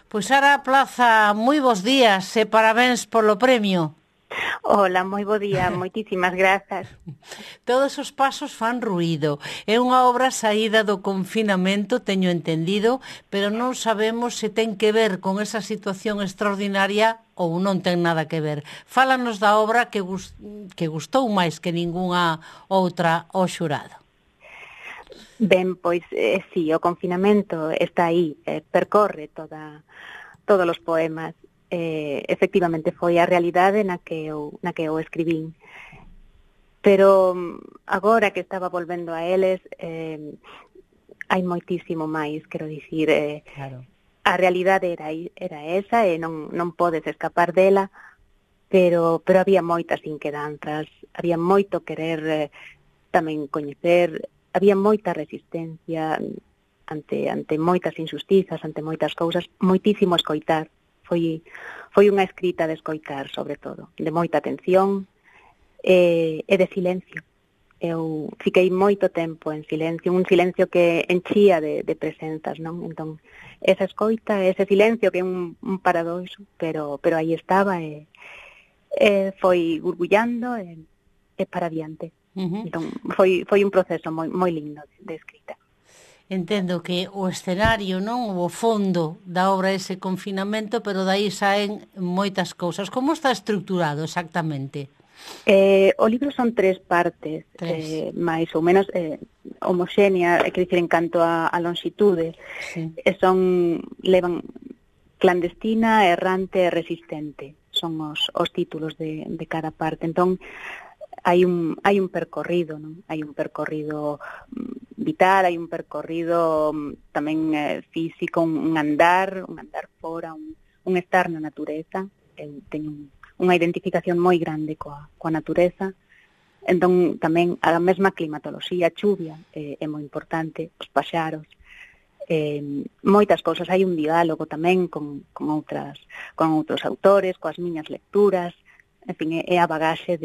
Pois Sara Plaza, moi bons días e parabéns polo premio. Hola, moi bo día, moitísimas grazas. Todos os pasos fan ruído. É unha obra saída do confinamento, teño entendido, pero non sabemos se ten que ver con esa situación extraordinaria ou non ten nada que ver. Fálanos da obra que gustou máis que ningunha outra ao xurado. Ben, pois, sí, o confinamento está aí, percorre todos os poemas. Efectivamente foi a realidade na que eu escribín. Pero agora que estaba volvendo a eles, hai moitísimo máis, quero dicir, Claro. a realidade era esa e non podes escapar dela, pero había moitas inquedanzas, había moito querer tamén coñecer, había moita resistencia ante moitas injustizas, ante moitas cousas, moitísimo escoitar. Foi unha escrita de escoitar, sobre todo, de moita atención e de silencio. Eu fiquei moito tempo en silencio, un silencio que enchía de presenzas, non? Entón, esa escoita, ese silencio que é un paradoxo, pero aí estaba e foi gurgullando e para adiante. Entón, foi un proceso moi lindo de escrita. Entendo que o escenario, non, o fondo da obra é ese confinamento, pero daí saen moitas cousas. Como está estruturado exactamente? O libro son 3 partes, máis ou menos homoxénea, quer dicir, en canto a longitude. Sí. Levan clandestina, errante e resistente. Son os títulos de cada parte. Entón, hai un percorrido, non? Hai un percorrido vital, hai un percorrido tamén físico, un andar fora, un estar na natureza. Eu teño unha identificación moi grande coa natureza. Entón, tamén a mesma climatoloxía, a chuvia é moi importante, os paxaros, moitas cousas. Hai un diálogo tamén con outros autores, coas miñas lecturas. En fin, é a bagaxe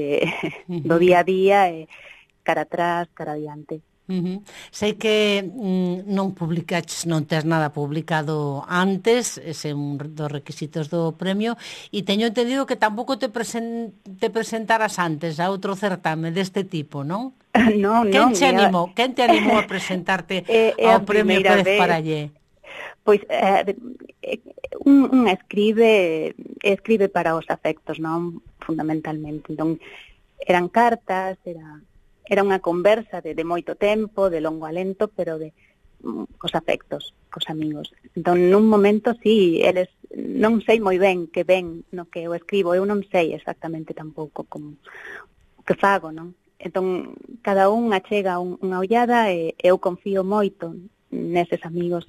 do día a día, cara atrás, cara adiante. Sei que non publicaches, non tes nada publicado antes, ese é un dos requisitos do premio, e teño entendido que tampouco te presentaras antes a outro certame deste tipo, non? Non. Quen te animou a presentarte ao premio Pérez Parallé? Pois un escribe para os afectos, non? Fundamentalmente. Entón, eran cartas, era unha conversa de moito tempo, de longo alento, pero cos afectos, cos amigos. Entón, nun momento, sí, eles non sei moi ben que ven no que eu escribo, eu non sei exactamente tampouco como que fago, non? Entón, cada un achega unha ollada e eu confío moito neses amigos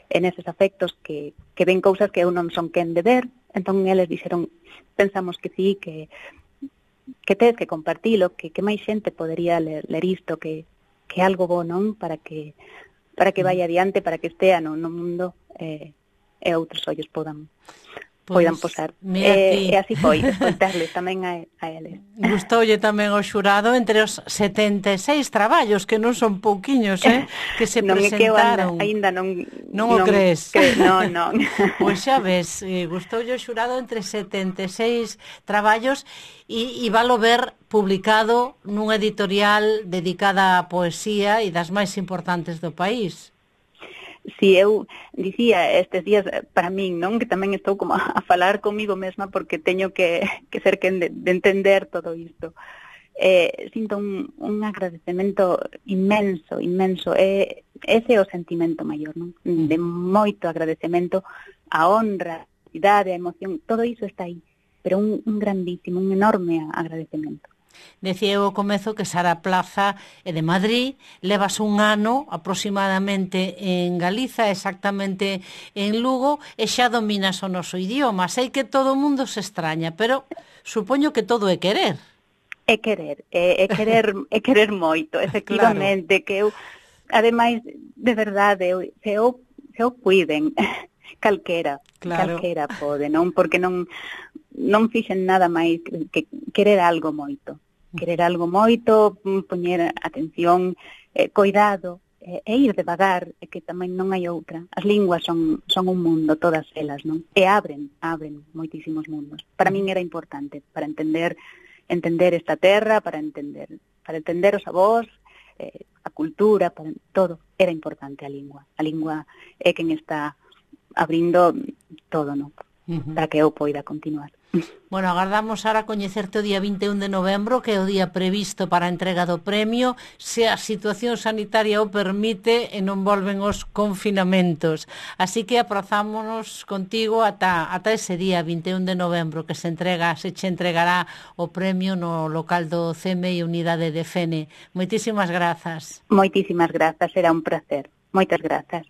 e neses afectos que ven cousas que eu non son quen de ver. Entón, eles dixeron, pensamos que sí, que tes que compartilo, que máis xente podería ler isto, que algo bo, non? Para que vai adiante, para que estea no mundo e outros ollos poidan posar. E así foi, escoitarles tamén a eles. Gustoulle tamén ao xurado entre os 76 traballos, que non son pouquiños, que se presentaron. Non é que eu ainda non o crees? Non. Pois xa ves, gustoulle ao xurado entre 76 traballos e valo ver publicado nunha editorial dedicada á poesía e das máis importantes do país. Si eu dicía estes días para min, non, que tamén estou como a falar comigo mesma porque teño que ser quen de entender todo isto. Sinto un agradecemento inmenso, ese é o sentimento maior, non? De moito agradecemento, a honra, a cidade, a emoción, todo iso está aí, pero un grandísimo, un enorme agradecemento. Decía eu ao comezo que Sara Plaza é de Madrid, levas un ano aproximadamente en Galiza, exactamente en Lugo, e xa dominas o noso idioma. Sei que todo o mundo se extraña, pero supoño que todo é querer. É querer moito, efectivamente, claro. Que eu, ademais, de verdade, se eu cuiden, calquera pode, non? Porque non fixen nada máis que querer algo moito, poñer atención, cuidado, ir devagar, e que tamén non hai outra. As linguas son un mundo, todas elas, non? E abren moitísimos mundos. Para min era importante, para entender esta terra, para entender os avós, a cultura, para todo. Era importante a lingua. A lingua é quen está abrindo todo, non? Para que eu poida continuar. Bueno, agardamos ahora coñecerte o día 21 de novembro, que é o día previsto para a entrega do premio, se a situación sanitaria o permite e non volven os confinamentos. Así que aprazámonos contigo ata ese día 21 de novembro que se che entregará o premio no local do CMI Unidade de Fene. Moitísimas grazas. Moitísimas grazas, era un placer. Moitas grazas.